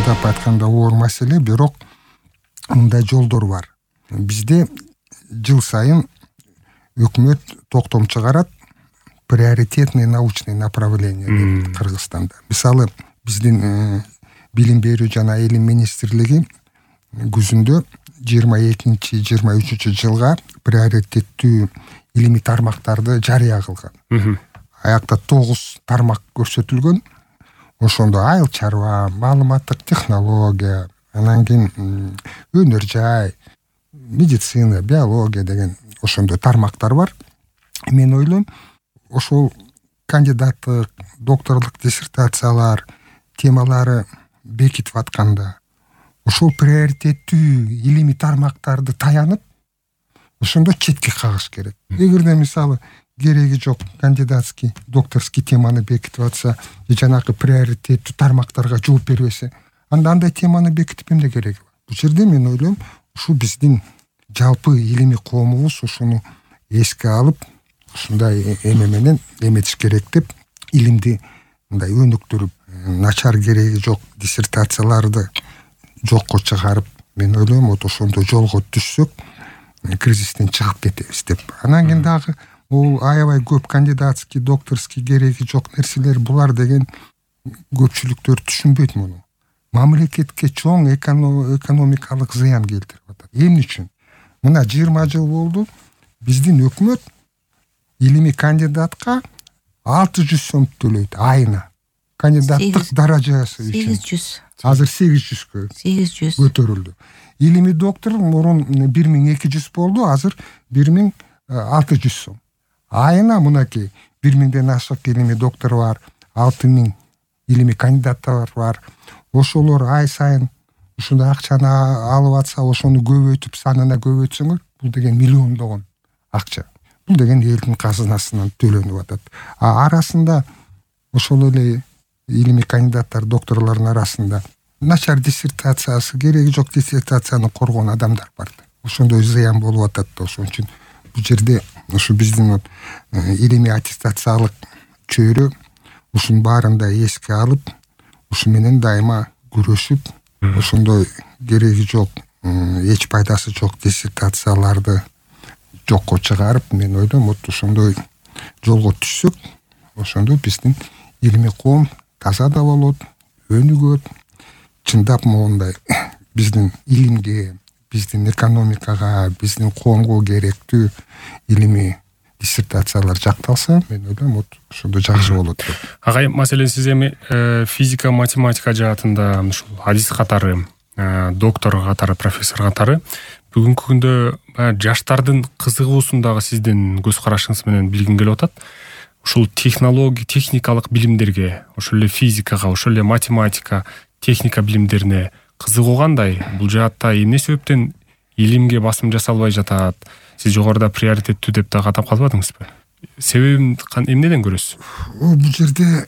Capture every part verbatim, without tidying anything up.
чындап айтканда оор маселе, бирок мындай жолдор бар. Бизде жыл сайын өкмөт токтом чыгарат, приоритетный научный направление деп Кыргызстанда. Мисалы, биздин билим берүү жана илим министрлиги күзүндө жыйырма экинчи жыйырма үчүнчү жылга приоритеттүү илимий тармактарды жарыя кылган. Аякта тогуз тармак көрсөтүлгөн. Ошондо айыл чарба, маалыматтык технология, анан кийин өнөр жай, медицина, биология деген ошондой тармактар бар. Мен ойлойм, ошол кандидаттык, докторлук диссертациялар темалары бекитип атканда, ошол приоритеттүү илимий тармактарды таянып, ошондо четке кагыш керек. Эгерде мисалы кереги жок кандидатский, докторский теманы бекитип атса, же жанакы приоритеттүү тармактарга жооп бербесе, анда андай теманы бекитип эмне кереги бар? Бул жерде мен ойлойм, ушул биздин жалпы илимий коомубуз ушуну эске алып, ушундай эме менен эметиш керек деп, илимди мындай өнүктүрүп, начар кереги жок диссертацияларды жокко чыгарып, мен ойлойм, вот ошондой жолго түшсөк, кризистен чыгып кетебиз деп. Анан кийин дагы бул аябай көп кандидатский, докторский кереги жок нерселер, булар деген көпчүлүктөр түшүнбөйт муну. Мамлекетке чоң экономикалык зыян келтирип атат. Эмне үчүн? Мына жыйырма жыл болду, биздин өкмөт илимий кандидатка алты жүз сом төлөйт айына. Кандидаттык даражасы үчүн. сегиз жүз. Азыр сегиз жүзгө сегиз жүз көтөрүлдү. Илимий доктор мурун бир миң эки жүз болду, азыр бир миң алты жүз сом. Айына мынакей бир миңден ашык илимий доктор бар, алты миң илимий кандидаттар бар. Ошолор ай сайын ушундай акчаны алып атса, ошону көбөйтүп, санына көбөйтсөңөр, бул деген миллиондогон акча. Бул деген элдин казынасынан төлөнүп атат. А арасында ошол эле илимий кандидаттар, докторлордун арасында начар диссертациясы, кереги жок диссертацияны коргон адамдар бар. Ошондой зыян болуп атат да. Ошон үчүн бул жерде ушу биздин илимий аттестациялык чөйрө ушунун баарын да эске алып, ушу менен дайыма күрөшүп, ошондой кереги жок, эч пайдасы жок диссертацияларды жокко чыгарып, мен ойлойм, вот ошондой жолго түшсөк, ошондо биздин илимий коом таза да болот, өнүгөт. Чындап моундай биздин илимге, биздин экономикага, биздин коомго керектүү илимий диссертациялар жакталса, мен ойлойм, вот ошондо жакшы болот деп. Агай, маселен сиз эми физика, математика жаатында ушул адис катары, доктор катары, профессор катары бүгүнкү күндө жаштардын кызыгуусундагы сиздин көз карашыңыз менен билгим келип атат. Ушул технология, техникалык билимдерге, ошол эле физикага, ошол эле математика, техника билимдерине кызыгуу кандай? Бул жаатта эмне себептен илимге басым жасалбай жатат? Сиз жогоруда приоритеттүү деп да катап калбадыңызбы? Себебин эмнеден көрөсүз? Бул жерде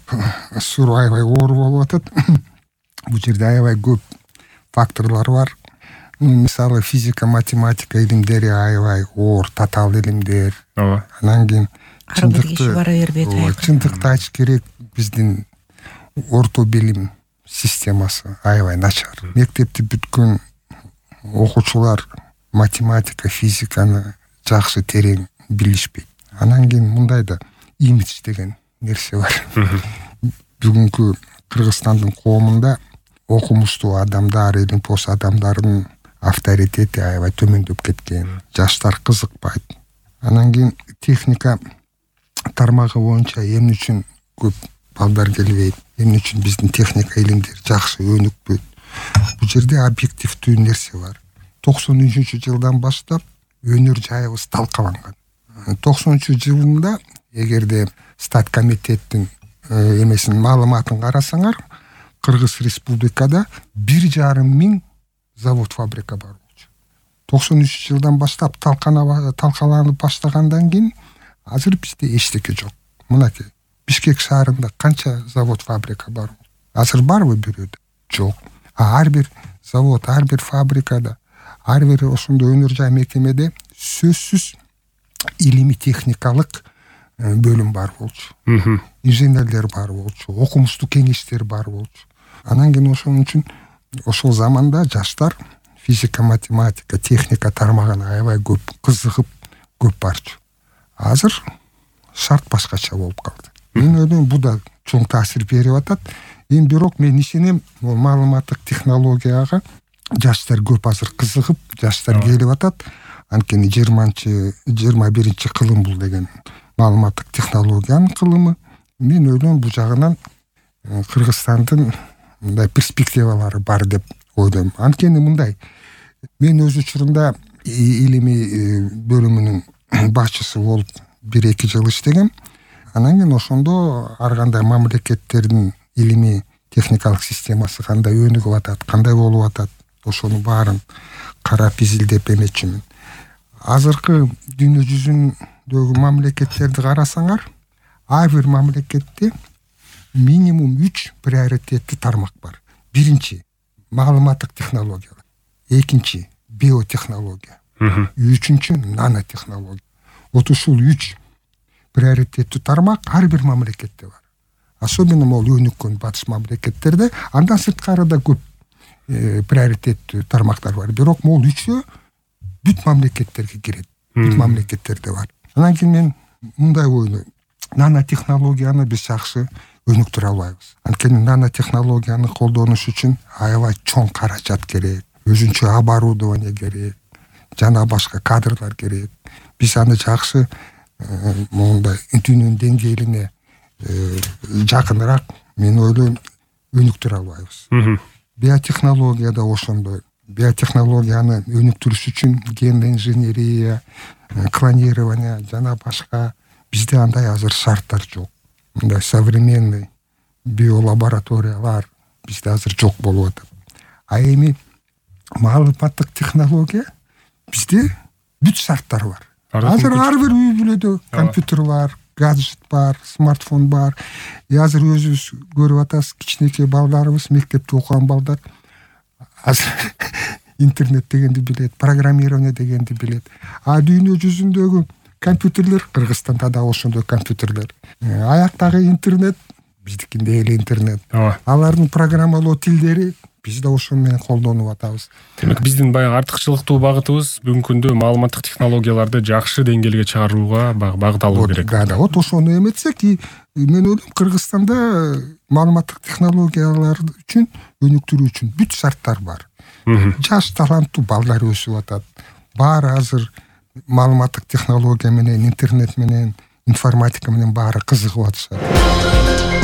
суроо аябай оор болуп атат. Бул жерде аябай көп факторлор бар. Мисалы, физика, математика илимдери аябай оор, татаал илимдер. Ооба. Анан кийин ар бир киши бара бербейт. Чындыкты айтыш керек, биздин орто билим системасы аябай начар. Мектепти бүткөн окуучулар математика, физиканы жакшы терең билишпейт. Анан кийин мындай да имидж деген нерсе бар. Бүгүнкү Кыргызстандын коомунда окумуштуу адамдар, илимпоз адамдардын авторитети аябай төмөндөп кеткен. Жаштар кызыкпайт. Анан кийин техника тармагы боюнча эмне үчүн көп балдар келбейт, эмне үчүн биздин техника илимдер жакшы өнүкпөйт? Бул жерде объективдүү нерсе бар. токсон үчүнчү жылдан баштап өнөр жайыбыз талкаланган. токсонунчу жылында эгерде стат комитеттин эмесин маалыматын карасаңар, Кыргыз Республикада бир жарым миң завод, фабрика бар болчу. токсон үчүнчү жылдан баштап талкаланып баштагандан кийин азыр бизде эчтеке жок. Мынакей Бишкек шаарында канча завод, фабрика бар? Азыр барбы бирөөдө? Жок. А ар бир завод, ар бир фабрикада, ар бир ошондой өнөр жай мекемеде сөзсүз илимий техникалык бөлүм бар болчу. Инженерлер бар болчу, окумуштуу кеңештер бар болчу. Анан кийин ошон үчүн ошол заманда жаштар физика, математика, техника тармагына аябай көп кызыгып көп барчу. Азыр шарт башкача болуп калды. Мен ойлойм, бул да чоң таасир берип атат. Эми бирок мен ишенем, бул маалыматтык технологияга жаштар көп азыр кызыгып, жаштар келип атат. Анткени жыйырманчы жыйырма биринчи кылым бул деген маалыматтык технологиянын кылымы. Мен ойлойм, бул жагынан Кыргызстандын мындай перспективалары бар деп ойлойм. Анткени мындай, мен өз учурунда илимий бөлүмүнүн башчысы болуп бир эки жыл иштегем. Анан кийин ошондо ар кандай мамлекеттердин илимий техникалык системасы кандай өнүгүп атат, кандай болуп атат, ошонун баарын карап изилдеп эметчүмүн. Азыркы дүйнө жүзүндөгү мамлекеттерди карасаңар, ар бир мамлекетте минимум үч приоритеттүү тармак бар. Биринчи маалыматтык технологиялар, экинчи биотехнология, үчүнчү нанотехнология. Вот ушул үч приоритеттүү тармак ар бир мамлекетте бар. Особенно могу өнүккөн батыш мамлекеттерде, андан сырткары да көп приоритеттүү тармактар бар. Бирок могу үчөө бүт мамлекеттерге кирет. Бүт мамлекеттерде бар. Анан кийин мен мындай ойлойм. Нанотехнологияны биз жакшы өнүктүрө албайбыз. Анткени нанотехнологияны колдонуш үчүн аябай чоң каражат керек, өзүнчө оборудование керек, жана башка кадрлар керек. Биз аны жакшы мондай дүйнөнүн деңгээлине жакыныраак, мен ойлойм, өнүктүрө албайбыз. Биотехнология да ошондой. Биотехнологияны өнүктүрүш үчүн ген инженерия, клонирование жана башка бизде андай азыр шарттар жок. Мындай современный биолабораториялар бизде азыр жок болуп атат. А эми маалыматтык технология бизде бүт шарттар бар. Азыр ар бир үй бүлөдө компьютер бар, гаджет бар, смартфон бар. И азыр өзүбүз көрүп атабыз, кичинекей балдарыбыз, мектепте окуган балдар азыр интернет дегенди билет, программирование дегенди билет. А дүйнө жүзүндөгү компьютерлер, Кыргызстанда да ошондой компьютерлер. Аяктагы интернет биздикинде эле интернет. Алардын программалоо тилдери биз да ошону менен колдонуп атабыз. Демек биздин баягы артыкчылыктуу багытыбыз бүгүнкү күндө маалыматтык технологияларды жакшы деңгээлге чыгарууга багыт алуу керек. Да, да, вот ошону эметсек, мен ойлойм, Кыргызстанда маалыматтык технологиялар үчүн өнүктүрүү үчүн бүт шарттар бар. Жаш таланттуу балдар өсүп атат. Баары азыр маалыматтык технология менен, интернет менен, информатика менен баары кызыгып атышат.